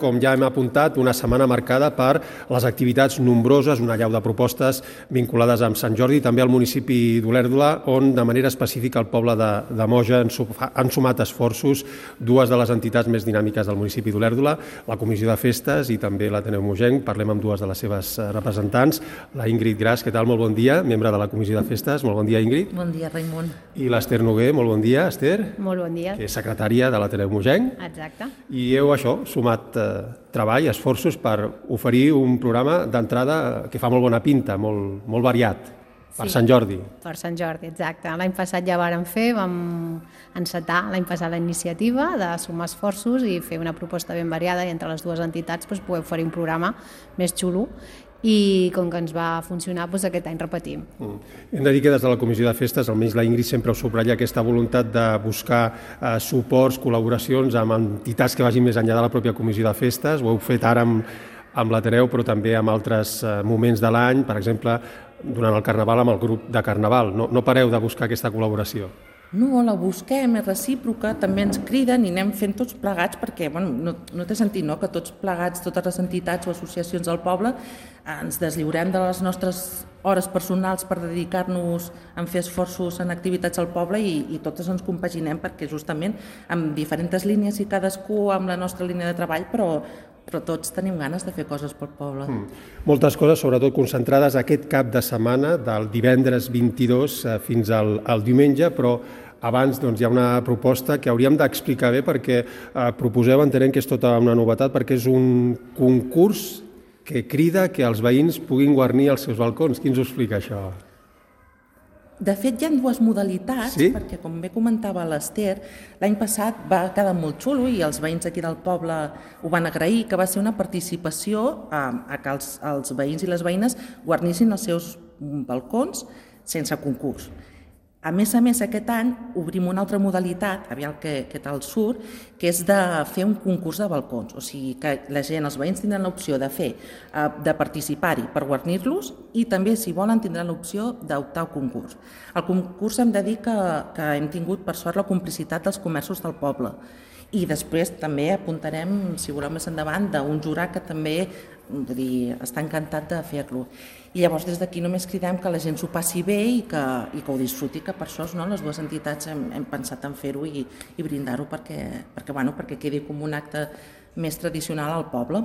Com ja hem apuntat, una setmana marcada per les activitats nombroses, una allau de propostes vinculades amb Sant Jordi i també al municipi d'Olèrdola, on de manera específica el poble de Moja han sumat esforços dues de les entitats més dinàmiques del municipi d'Olèrdola, la Comissió de Festes i també l'Ateneu Mogenc. Parlem amb dues de les seves representants, la Ingrid Gras, què tal? Molt bon dia, membre de la Comissió de Festes. Molt bon dia, Ingrid. Bon dia, Raimon. I l'Ester Noguer, molt bon dia, Ester. Molt bon dia. Que és secretària de l'Ateneu Mogenc. Exacte. I heu, sumat treball, esforços per oferir un programa d'entrada que fa molt bona pinta, molt variat, per Sant Jordi. Per Sant Jordi, exacte. L'any passat ja vàrem fer, vam encetar l'any passat la iniciativa de sumar esforços i fer una proposta ben variada i entre les dues entitats poder oferir un programa més xulo. I com que ens va funcionar, aquest any repetim. Hem de dir que des de la Comissió de Festes, almenys la Ingrid sempre ho subratlla, aquesta voluntat de buscar suports, col·laboracions amb entitats que vagin més enllà de la pròpia Comissió de Festes. Ho heu fet ara amb l'Ateneu, però també en altres moments de l'any, per exemple, durant el Carnaval amb el grup de Carnaval. No pareu de buscar aquesta col·laboració. No, la busquem, és recíproca, també ens criden i anem fent tots plegats perquè no té sentit que tots plegats, totes les entitats o associacions del poble ens deslliurem de les nostres hores personals per dedicar-nos a fer esforços en activitats al poble i totes ens compaginem perquè justament amb diferents línies i cadascú amb la nostra línia de treball, però tots tenim ganes de fer coses pel poble. Moltes coses, sobretot concentrades aquest cap de setmana, del divendres 22 fins al diumenge, però abans hi ha una proposta que hauríem d'explicar bé perquè proposeu, entenem que és tota una novetat, perquè és un concurs que crida que els veïns puguin guarnir els seus balcons. Qui ens ho explica, això? De fet, hi ha dues modalitats, perquè com bé comentava l'Ester, l'any passat va quedar molt xulo i els veïns aquí del poble ho van agrair, que va ser una participació a que els veïns i les veïnes guarnissin els seus balcons sense concurs. A més, aquest any obrim una altra modalitat, aviam què tal surt, que és de fer un concurs de balcons. O sigui que la gent, els veïns tindran l'opció de participar-hi per guarnir-los i també, si volen, tindran l'opció d'optar al concurs. Al concurs hem de dir que hem tingut, per sort, la complicitat dels comerços del poble. I després també apuntarem, si voleu més endavant, d'un jurat que també està encantat de fer-lo. I llavors des d'aquí només cridem que la gent s'ho passi bé i que ho disfruti, que per això les dues entitats hem pensat en fer-ho i brindar-ho perquè quedi com un acte més tradicional al poble.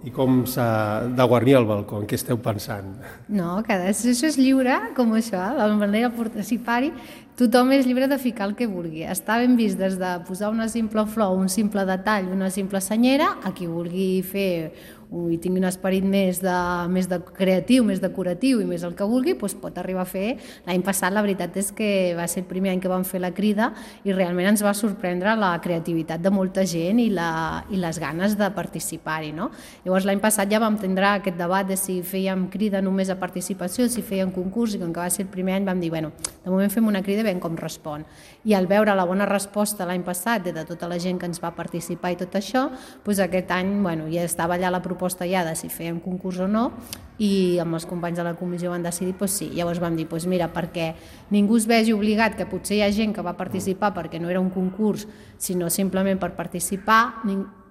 I com s'ha de guarnir el balcó? En què esteu pensant? No, això és lliure, com això, la manera de participar-hi. Tothom és lliure de ficar el que vulgui. Està ben vist des de posar una simple flor, un simple detall, una simple senyera, a qui vulgui fer i tingui un esperit més de creatiu, més decoratiu i més el que vulgui, pot arribar a fer. L'any passat la veritat és que va ser el primer any que vam fer la crida i realment ens va sorprendre la creativitat de molta gent i les ganes de participar-hi. Llavors l'any passat ja vam tindre aquest debat de si fèiem crida només a participació, si fèiem concurs, i com que va ser el primer any vam dir, de moment fem una crida com respon. I al veure la bona resposta l'any passat de tota la gent que ens va participar i tot això, aquest any ja estava allà la proposta ja de si fèiem concurs o no i amb els companys de la comissió van decidir sí. Llavors vam dir, mira, perquè ningú es vegi obligat, que potser hi ha gent que va participar perquè no era un concurs, sinó simplement per participar,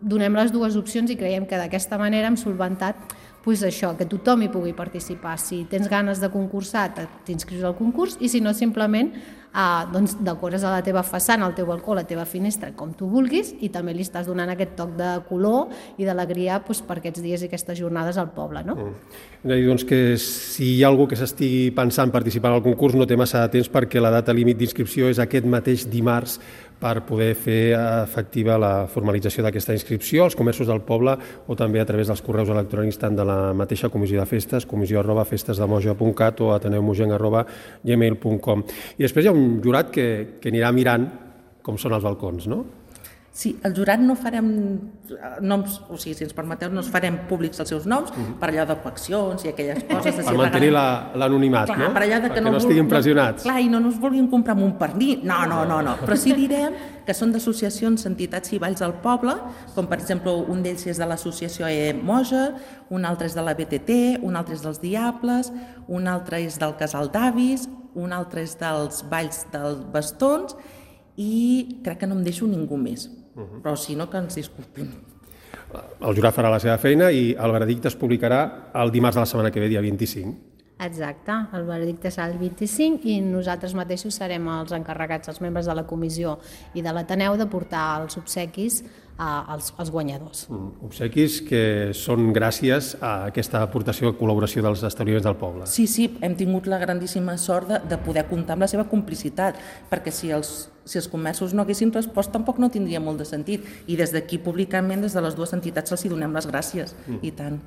donem les dues opcions i creiem que d'aquesta manera hem solventat això, que tothom hi pugui participar. Si tens ganes de concursar, t'inscrius al concurs i si no, simplement decores a la teva façana, al teu balcó, a la teva finestra, com tu vulguis i també li estàs donant aquest toc de color i d'alegria per aquests dies i aquestes jornades al poble. Hem de dir que si hi ha algú que s'estigui pensant participar en el concurs no té massa de temps perquè la data límit d'inscripció és aquest mateix dimarts per poder fer efectiva la formalització d'aquesta inscripció als comerços del poble o també a través dels correus electrònics tant de la mateixa Comissió de Festes, comissió@festesdemoja.cat o ateneumogenc@gmail.com. I després hi ha un jurat que anirà mirant com són els balcons, no? Sí, el jurat no farem noms, o sigui, si ens permeteu, no farem públics els seus noms per allò de coaccions i aquelles coses. Per mantenir l'anonimat, no? Perquè no estiguin pressionats. Clar, i no ens vulguin comprar amb un pernil. No. Però sí direm que són d'associacions, entitats i balls del poble, com per exemple un d'ells és de l'associació Moja, un altre és de la BTT, un altre és dels Diables, un altre és del Casal d'Avis, un altre és dels balls dels bastons i crec que no em deixo ningú més. Però si no, que ens disculpin. El jurat farà la seva feina i el veredicte es publicarà el dimarts de la setmana que ve, dia 25. Exacte, el veredicte serà el 25 i nosaltres mateixos serem els encarregats, els membres de la comissió i de l'Ateneu, de portar els obsequis als guanyadors. Obsequis que són gràcies a aquesta aportació i col·laboració dels establiments del poble. Sí, hem tingut la grandíssima sort de poder comptar amb la seva complicitat, perquè si els comerços no haguessin respost tampoc no tindria molt de sentit. I des d'aquí, públicament, des de les dues entitats els donem les gràcies, i tant.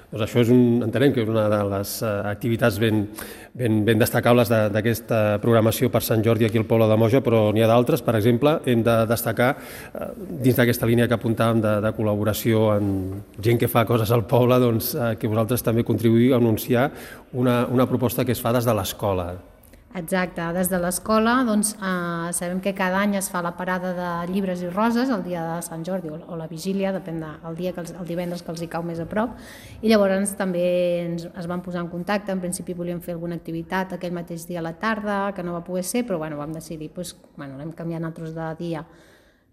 Doncs això entenem que és una de les activitats ben destacables d'aquesta programació per Sant Jordi aquí al poble de Moja, però n'hi ha d'altres. Per exemple, hem de destacar, dins d'aquesta línia que apuntàvem de col·laboració amb gent que fa coses al poble, doncs, que vosaltres també contribuïu a anunciar una proposta que es fa des de l'escola. Exacte, des de l'escola sabem que cada any es fa la parada de llibres i roses el dia de Sant Jordi o la vigília, depèn del dia, el divendres que els hi cau més a prop, i llavors també es van posar en contacte. En principi volíem fer alguna activitat aquell mateix dia a la tarda, que no va poder ser, però vam decidir, l'hem canviat nosaltres de dia,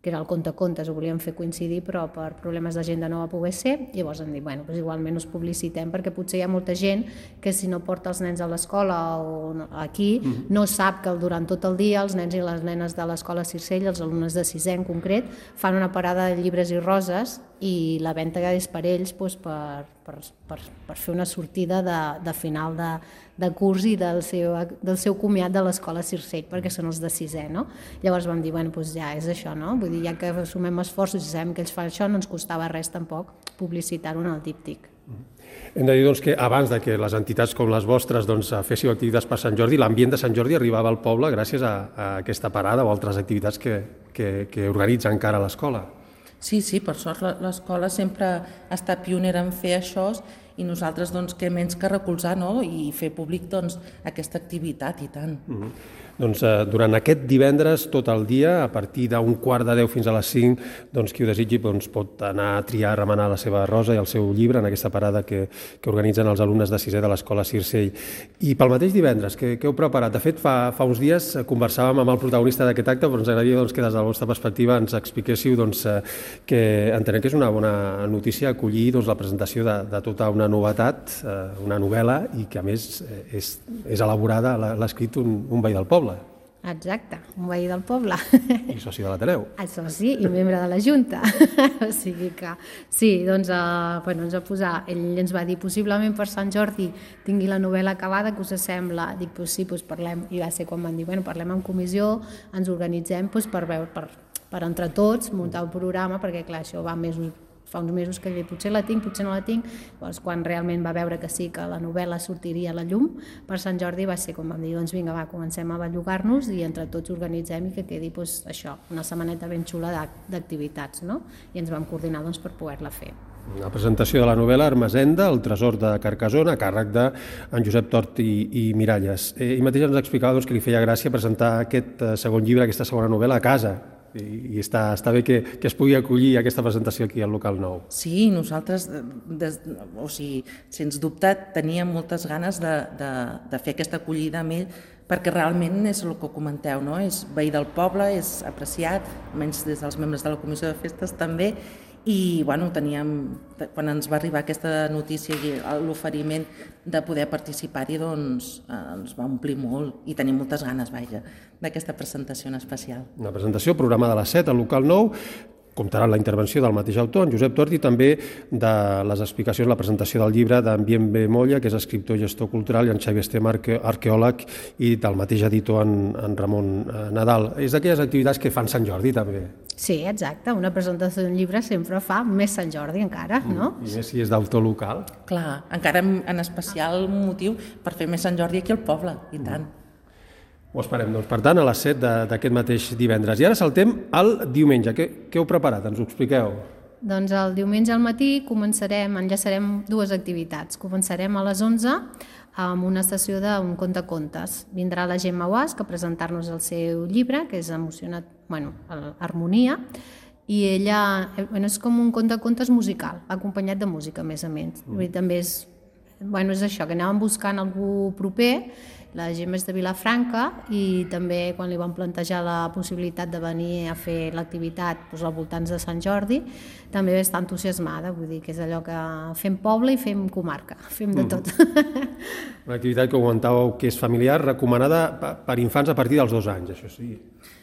que era el contes, ho volíem fer coincidir, però per problemes d'agenda no va poder ser. Llavors hem dit, igualment us publicitem, perquè potser hi ha molta gent que si no porta els nens a l'escola o aquí, no sap que durant tot el dia els nens i les nenes de l'escola Circell, els alumnes de 6è en concret, fan una parada de llibres i roses i la venda és per ells per fer una sortida de final de curs i del seu comiat de l'escola Circell, perquè són els de 6è, no? Llavors vam dir, ja és això, no? Vull dir, ja que sumem esforços i sabem que ells fan això, no ens costava res tampoc publicitar-ho en el díptic. Hem de dir que abans de que les entitats com les vostres féssiu activitats per Sant Jordi, l'ambient de Sant Jordi arribava al poble gràcies a aquesta parada o altres activitats que organitza encara l'escola. Sí, per sort l'escola sempre ha estat pionera en fer això i nosaltres què menys que recolzar i fer públic aquesta activitat, i tant. Durant aquest divendres, tot el dia, a partir d'un 9:15 fins a les 5, qui ho desitgi pot anar a triar, a remenar la seva rosa i el seu llibre en aquesta parada que organitzen els alumnes de 6è de l'escola Circell. I pel mateix divendres, què heu preparat? De fet, fa uns dies conversàvem amb el protagonista d'aquest acte, però ens agradaria que des de la vostra perspectiva ens expliquéssiu que entenem que és una bona notícia acollir la presentació de tota una novetat, una novel·la, i que a més és elaborada, l'ha escrit un veí del poble. Exacte, un veí del poble. I soci de l'Ateneu. Soci i membre de la Junta. O sigui que sí, ens va posar, ell ens va dir, possiblement per Sant Jordi tingui la novel·la acabada, que us sembla? Dic, sí, parlem, i va ser quan van dir, parlem en comissió, ens organitzem per entre tots muntar un programa, perquè clar, això va fa uns mesos que potser la tinc, potser no la tinc. Llavors, quan realment va veure que sí, que la novel·la sortiria a la llum per Sant Jordi, va ser com vam dir, vinga, comencem a bellugar-nos i entre tots organitzem i que quedi això, una setmaneta ben xula d'activitats, no? I ens vam coordinar per poder-la fer. La presentació de la novel·la Ermessenda, el tresor de Carcassona, a càrrec d'en Josep Tort i Miralles. Ell mateix ens explicava que li feia gràcia presentar aquest segon llibre, aquesta segona novel·la a casa, i està bé que es pugui acollir aquesta presentació aquí al local nou. Sí, nosaltres, sens dubte, teníem moltes ganes de fer aquesta acollida amb ell, perquè realment és el que comenteu, no? És veí del poble, és apreciat, almenys des dels membres de la Comissió de Festes també, i quan ens va arribar aquesta notícia i l'oferiment de poder participar-hi, ens va omplir molt i tenim moltes ganes, d'aquesta presentació en especial. Una presentació programada a les 7 al local 9, comptarà la intervenció del mateix autor, en Josep Tort, i també de les explicacions, la presentació del llibre d'en Bienve Molla, que és escriptor i gestor cultural, i en Xavi Estem, arqueòleg, i del mateix editor, en Ramon Nadal. És d'aquelles activitats que fan Sant Jordi, també. Sí, exacte. Una presentació d'un llibre sempre fa més Sant Jordi, encara, no? I més si és d'autor local. Clar, encara en especial motiu per fer més Sant Jordi aquí al poble, i tant. Ho esperem, per tant, a les 7 d'aquest mateix divendres. I ara saltem al diumenge. Què heu preparat? Ens ho expliqueu. Doncs el diumenge al matí enllaçarem dues activitats. Començarem a les 11 amb una sessió d'un contes. Vindrà la Gemma Guasc a presentar-nos el seu llibre, que és Harmonia, i ella és com un contes musical, acompanyat de música, a més a més. També Bueno, és això, que anàvem buscant algú proper, la gent és de Vilafranca, i també quan li vam plantejar la possibilitat de venir a fer l'activitat als voltants de Sant Jordi, també va estar entusiasmada, vull dir que és allò que fem poble i fem comarca, fem de tot. Una activitat que comentàveu que és familiar, recomanada per infants a partir dels 2 anys, això sí.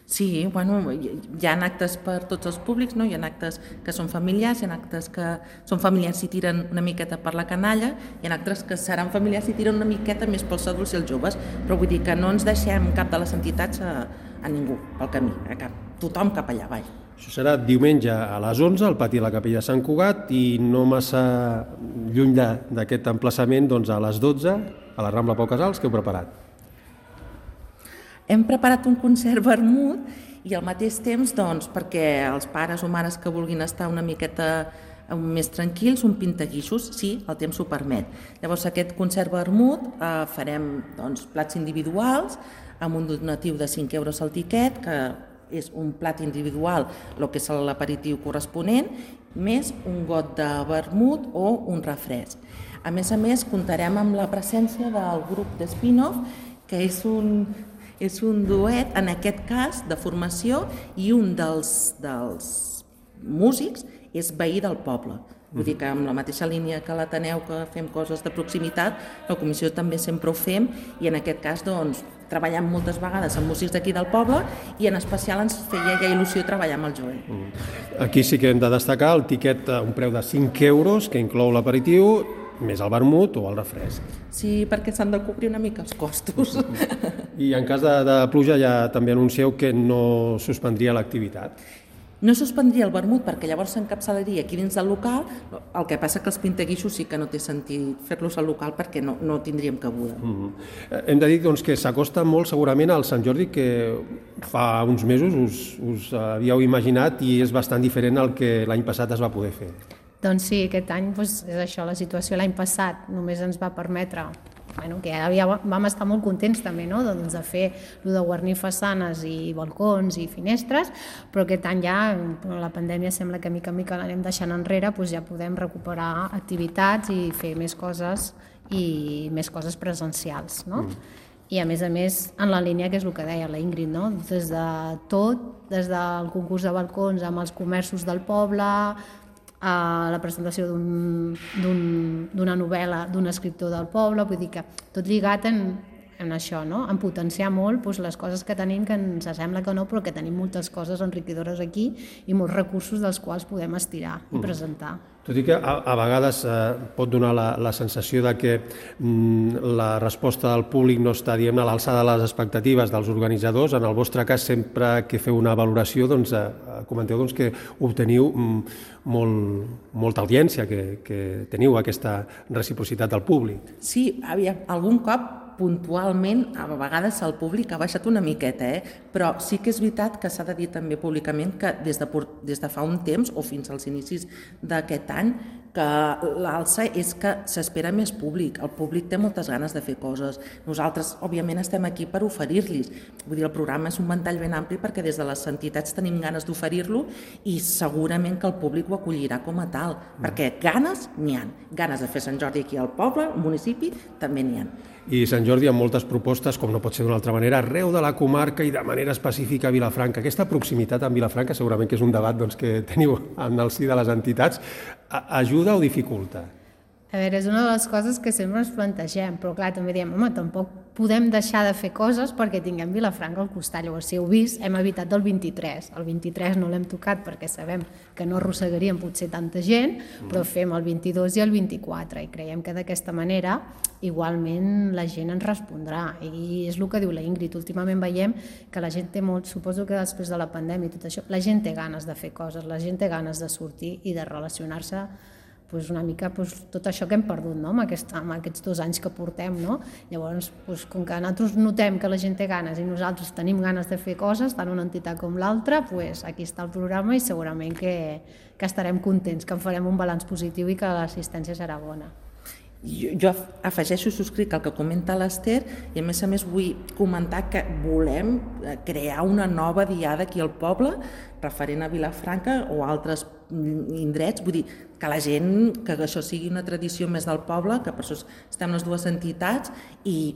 Sí, bueno, hi ha actes per tots els públics, no? Hi ha actes que són familiars, hi ha actes que són familiars i tiren una miqueta per la canalla, hi ha actes que seran familiars i tiren una miqueta més pels adults i els joves, però vull dir que no ens deixem cap de les entitats a ningú, pel camí, a cap, tothom cap allà, vai. Això serà diumenge a les 11 al pati de la Capella de Sant Cugat i no massa lluny d'aquest emplaçament, doncs a les 12 a la Rambla Pau Casals, que heu preparat. Hem preparat un concert vermut i al mateix temps, doncs, perquè els pares o mares que vulguin estar una miqueta més tranquils, un pintaguixos, sí, el temps ho permet. Llavors, aquest concert vermut farem doncs, plats individuals amb un donatiu de 5 euros al tiquet, que és un plat individual, el que és l'aperitiu corresponent, més un got de vermut o un refresc. A més, comptarem amb la presència del grup de Spin-off, que és un duet, en aquest cas, de formació, i un dels músics és veí del poble. Vull dir que amb la mateixa línia que l'Ateneu, que fem coses de proximitat, la comissió també sempre ho fem, i en aquest cas doncs, treballem moltes vegades amb músics d'aquí del poble i en especial ens feia ja il·lusió treballar amb el Joel. Aquí sí que hem de destacar el tiquet a un preu de 5 euros, que inclou l'aperitiu, més el vermut o el refresc. Sí, perquè s'han de cobrir una mica els costos. I en cas de pluja ja també anuncieu que no suspendria l'activitat. No suspendria el vermut perquè llavors s'encapçalaria aquí dins del local, el que passa que els pintaguixos sí que no té sentit fer-los al local perquè no tindríem cabuda. Hem de dir doncs, que s'acosta molt segurament al Sant Jordi que fa uns mesos us havíeu imaginat i és bastant diferent al que l'any passat es va poder fer. Doncs sí, aquest any és això, la situació l'any passat només ens va permetre, que vam estar molt contents també, no? Doncs de fer el de guarnir façanes i balcons i finestres, però aquest any ja, la pandèmia sembla que mica en mica l'anem deixant enrere, doncs ja podem recuperar activitats i fer més coses i més coses presencials, no? I a més, en la línia que és el que deia la Ingrid, no? Des de tot, des del concurs de balcons amb els comerços del poble, a la presentació d'una novel·la d'un escriptor del poble, vull dir que tot lligat en això, no? En potenciar molt les coses que tenim, que ens sembla que no, però que tenim moltes coses enriquidores aquí i molts recursos dels quals podem estirar i presentar. Tot i que a vegades pot donar la sensació de que la resposta del públic no està, diguem-ne, a l'alçada de les expectatives dels organitzadors. En el vostre cas, sempre que feu una valoració, doncs, comenteu que obteniu molta audiència, que teniu aquesta reciprocitat del públic. Sí, algun cop puntualment, a vegades el públic ha baixat una miqueta, però sí que és veritat que s'ha de dir també públicament que des de fa un temps o fins als inicis d'aquest any, que l'alça és que s'espera més públic. El públic té moltes ganes de fer coses. Nosaltres, òbviament, estem aquí per oferir-los. Vull dir, el programa és un ventall ben ampli perquè des de les entitats tenim ganes d'oferir-lo i segurament que el públic ho acollirà com a tal, perquè ganes n'hi ha. Ganes de fer Sant Jordi aquí al poble, al municipi, també n'hi ha. I Sant Jordi amb moltes propostes, com no pot ser d'una altra manera, arreu de la comarca i de manera específica a Vilafranca. Aquesta proximitat amb Vilafranca segurament que és un debat que teniu en el si de les entitats. Ajuda o dificulta? A veure, és una de les coses que sempre ens plantegem, però clar, també diem, tampoc podem deixar de fer coses perquè tinguem Vilafranca al costat. Llavors, si heu vist, hem evitat el 23. El 23 no l'hem tocat perquè sabem que no arrossegaríem potser tanta gent, però fem el 22 i el 24 i creiem que d'aquesta manera igualment la gent ens respondrà. I és el que diu la Ingrid. Últimament veiem que la gent té molt, suposo que després de la pandèmia i tot això, la gent té ganes de fer coses, la gent té ganes de sortir i de relacionar-se una mica tot això que hem perdut, no? amb aquests 2 anys que portem. No? Llavors, com que nosaltres notem que la gent té ganes i nosaltres tenim ganes de fer coses, tant una entitat com l'altra, aquí està el programa i segurament que estarem contents, que en farem un balanç positiu i que l'assistència serà bona. Jo afegeixo, subscric el que comenta l'Ester i a més vull comentar que volem crear una nova diada aquí al poble referent a Vilafranca o altres indrets, vull dir, que la gent, que això sigui una tradició més del poble, que per això estem les dues entitats i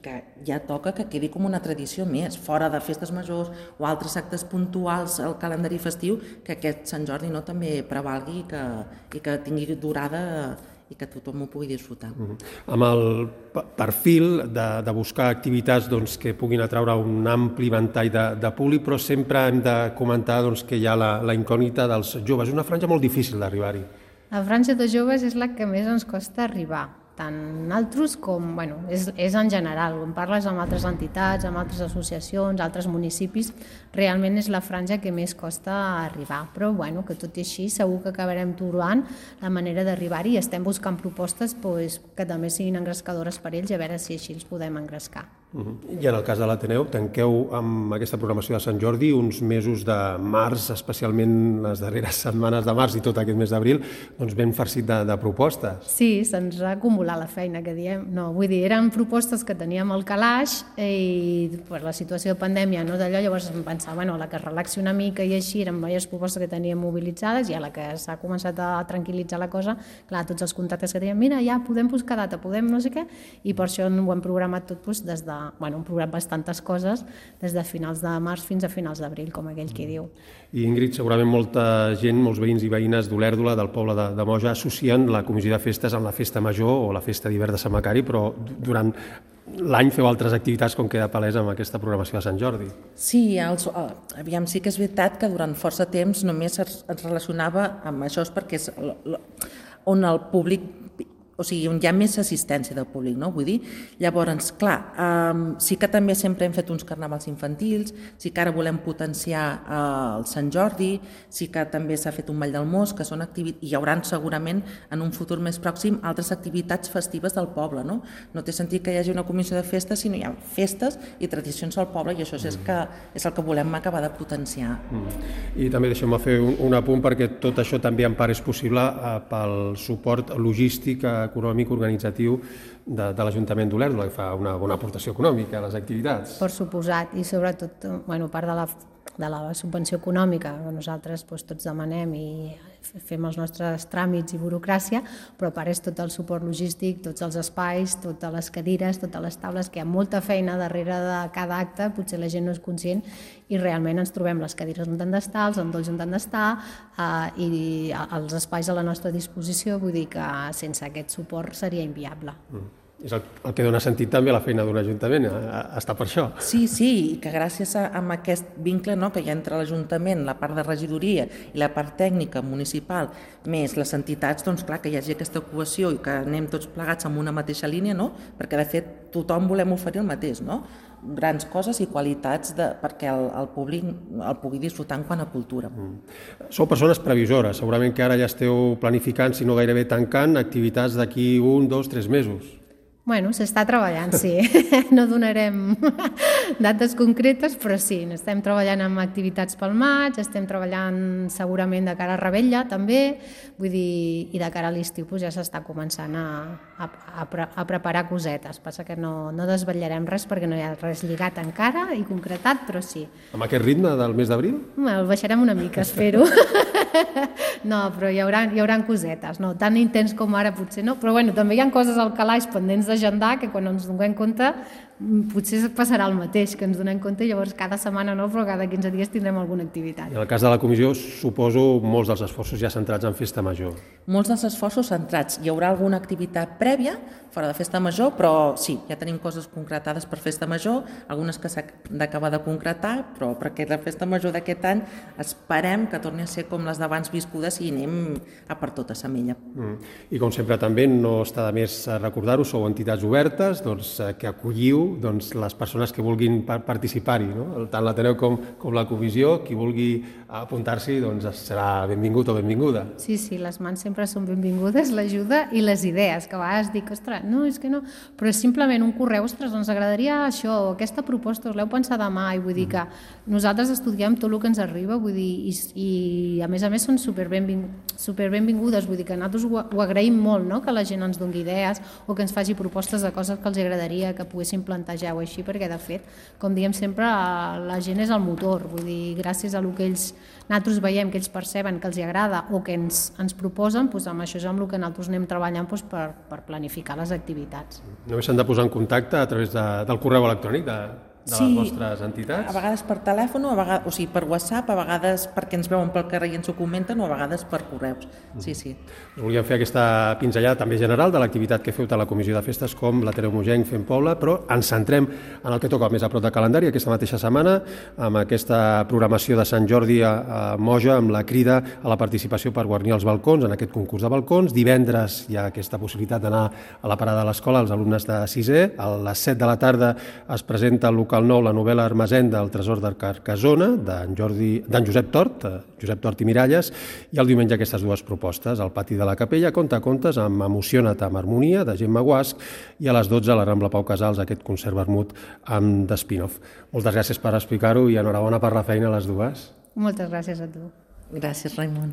que ja toca que quedi com una tradició més, fora de festes majors o altres actes puntuals al calendari festiu, que aquest Sant Jordi no també prevalgui i que tingui durada i que tothom ho pugui disfrutar. Amb el perfil de buscar activitats que puguin atraure un ampli ventall de públic, però sempre hem de comentar que hi ha la incògnita dels joves. És una franja molt difícil d'arribar-hi. La franja de joves és la que més ens costa arribar, tant nosaltres com, és en general, quan parles amb altres entitats, amb altres associacions, altres municipis, realment és la franja que més costa arribar, però que tot i així segur que acabarem trobant la manera d'arribar-hi i estem buscant propostes que també siguin engrescadores per ells i a veure si així els podem engrescar. I en el cas de l'Ateneu, tanqueu amb aquesta programació de Sant Jordi uns mesos de març, especialment les darreres setmanes de març i tot aquest mes d'abril, ben farcit de propostes. Sí, se'ns ha acumulat la feina que diem. No, vull dir, eren propostes que teníem al calaix i per la situació de pandèmia no d'allò, llavors em pensava, la que es relaxi una mica i així, eren diverses propostes que teníem mobilitzades i a la que s'ha començat a tranquil·litzar la cosa, clar, tots els contactes que teníem, mira, ja podem buscar data, podem no sé què, i per això ho hem programat tot des de hem programat bastantes coses des de finals de març fins a finals d'abril, com aquell qui diu. I Ingrid, segurament molta gent, molts veïns i veïnes d'Olèrdola, del poble de Moja, associen la comissió de festes amb la festa major o la festa d'hivern de Sant Macari, però durant l'any feu altres activitats com queda palès amb aquesta programació de Sant Jordi. Sí, aviam, sí que és veritat que durant força temps només es relacionava amb això, perquè és on el públic, o sigui, on hi ha més assistència del públic, no? Vull dir, llavors, clar, sí que també sempre hem fet uns carnavals infantils, sí que ara volem potenciar el Sant Jordi, sí que també s'ha fet un ball del mos, que són activitats, i hi haurà segurament en un futur més pròxim altres activitats festives del poble, no? No té sentit que hi hagi una comissió de festes, sinó hi ha festes i tradicions al poble, i això és el que volem acabar de potenciar. I també deixem-me fer un apunt, perquè tot això també en part és possible pel suport logístic, econòmic, organitzatiu de l'Ajuntament d'Olèrdola, que fa una bona aportació econòmica a les activitats. Per suposat, i sobretot, part de la subvenció econòmica que nosaltres tots demanem i fem els nostres tràmits i burocràcia, però a part és tot el suport logístic, tots els espais, totes les cadires, totes les taules, que hi ha molta feina darrere de cada acte, potser la gent no és conscient i realment ens trobem les cadires on han d'estar, els endolls on han d'estar i els espais a la nostra disposició, vull dir que sense aquest suport seria inviable. És el que dona sentit també a la feina d'un ajuntament, està per això. Sí, i que gràcies a aquest vincle que hi ha entre l'Ajuntament, la part de regidoria i la part tècnica municipal, més les entitats, doncs clar, que hi hagi aquesta cohesió i que anem tots plegats en una mateixa línia, perquè de fet tothom volem oferir el mateix, grans coses i qualitats perquè el públic el pugui disfrutar en quant a cultura. Sou persones previsores, segurament que ara ja esteu planificant, si no gairebé tancant, activitats d'aquí 1, 2, 3 mesos. S'està treballant, sí. No donarem dates concretes, però sí, estem treballant amb activitats pel maig, estem treballant segurament de cara a Rebella també, vull dir, i de cara a l'estiu ja s'està començant a preparar cosetes. Passa que no desvetllarem res perquè no hi ha res lligat encara i concretat, però sí. Amb aquest ritme del mes d'abril? El baixarem una mica, espero. No, però hi haurà cosetes, no tan intens com ara potser no, però també hi ha coses al calaix pendents d'agendar que quan ens donem compte potser passarà el mateix, que ens donem compte i llavors cada setmana no, però cada 15 dies tindrem alguna activitat. En el cas de la comissió, suposo molts dels esforços ja centrats en festa major. Molts dels esforços centrats. Hi haurà alguna activitat prèvia fora de festa major, però sí, ja tenim coses concretades per festa major, algunes que s'han d'acabar de concretar, però perquè la festa major d'aquest any esperem que torni a ser com les d'abans viscudes i anem a per tota Semella. I com sempre també no està de més recordar-ho, sou entitats obertes que acolliu les persones que vulguin participar-hi, tant l'Ateneu com la comissió, qui vulgui apuntar-s'hi serà benvingut o benvinguda. Sí, les mans sempre són benvingudes, l'ajuda i les idees, que a vegades dic, ostres, no, és que no, però és simplement un correu, ostres, ens agradaria això, aquesta proposta, us l'heu pensat demà, i vull dir que nosaltres estudiem tot el que ens arriba, vull dir, i a més són superbenvingudes, vull dir que nosaltres ho agraïm molt, que la gent ens doni idees o que ens faci propostes de coses que els agradaria que poguéssim plantejar plantegeu així, perquè de fet, com diem sempre, la gent és el motor, vull dir, gràcies a el que nosaltres veiem, que ells perceben que els agrada o que ens proposen, doncs amb això és amb el que nosaltres anem treballant per planificar les activitats. Només s'han de posar en contacte a través del correu electrònic de les vostres entitats? A vegades per telèfon, o sigui, per WhatsApp, a vegades perquè ens veuen pel carrer i ens ho comenten, o a vegades per correus. Sí. Volíem fer aquesta pinzellada també general de l'activitat que feu tant la Comissió de Festes com l'Ateneu Mogenc Fem Poble, però ens centrem en el que toca més a prop de calendari aquesta mateixa setmana, amb aquesta programació de Sant Jordi a Moja, amb la crida a la participació per guarnir els balcons en aquest concurs de balcons. Divendres hi ha aquesta possibilitat d'anar a la parada de l'escola als alumnes de 6è. A les 7 de la tarda es presenta al local 9 la novel·la Hermesenda, el tresor de Carcassona, d'en Josep Tort i Miralles, i el diumenge aquestes dues propostes, al pati de la Capella, Contacontes, amb Emociona't amb harmonia, de Gemma Guasch, i a les 12 a la Rambla Pau Casals, aquest concert vermut amb The Spin-off. Moltes gràcies per explicar-ho i enhorabona per la feina a les dues. Moltes gràcies a tu. Gràcies, Raimon.